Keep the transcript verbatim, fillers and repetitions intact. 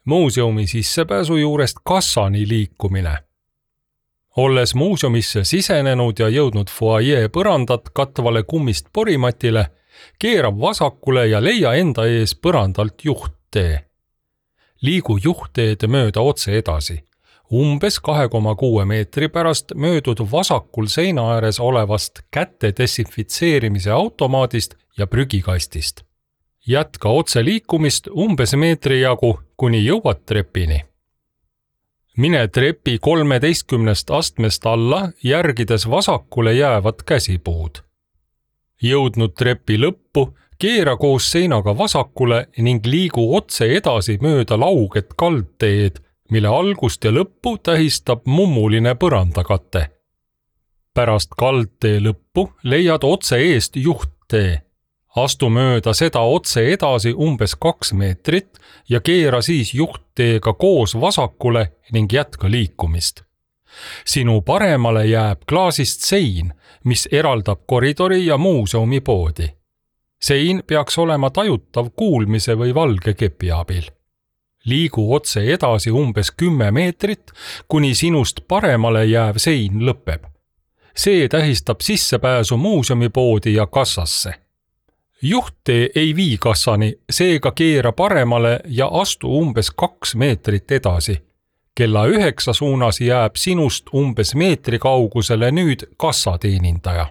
Muuseumi sissepääsu juurest kassani liikumine. Olles muuseumisse sisenenud ja jõudnud foajee põrandat katvale kummist porimatile, keera vasakule ja leia enda ees põrandalt juhttee. Liigu juhtteed mööda otse edasi. Umbes kahe koma kuue meetri pärast möödud vasakul seina ääres olevast käte desinfitseerimise automaadist ja prügikastist. Jätka otse liikumist umbes meetri jagu, kuni jõuad trepini. Mine trepi kolmeteistkümnest astmest alla, järgides vasakule jäävat käsipuud. Jõudnud trepi lõppu, keera koos seinaga vasakule ning liigu otse edasi mööda lauget kaldteed, mille algust ja lõppu tähistab mummuline põrandakate. Pärast kaldtee lõppu leiad otse eest juhttee. Astu mööda seda otse edasi umbes kaks meetrit ja keera siis juhtteega koos vasakule ning jätka liikumist. Sinu paremale jääb klaasist sein, mis eraldab koridori ja muuseumi poodi. Sein peaks olema tajutav kuulmise või valge kepi abil. Liigu otse edasi umbes kümme meetrit, kuni sinust paremale jääv sein lõpeb. See tähistab sissepääsu muuseumi poodi ja kassasse. Juhttee ei vii kassani, seega keera paremale ja astu umbes kaks meetrit edasi. Kella üheksa suunas jääb sinust umbes meetri kaugusele nüüd kassateenindaja.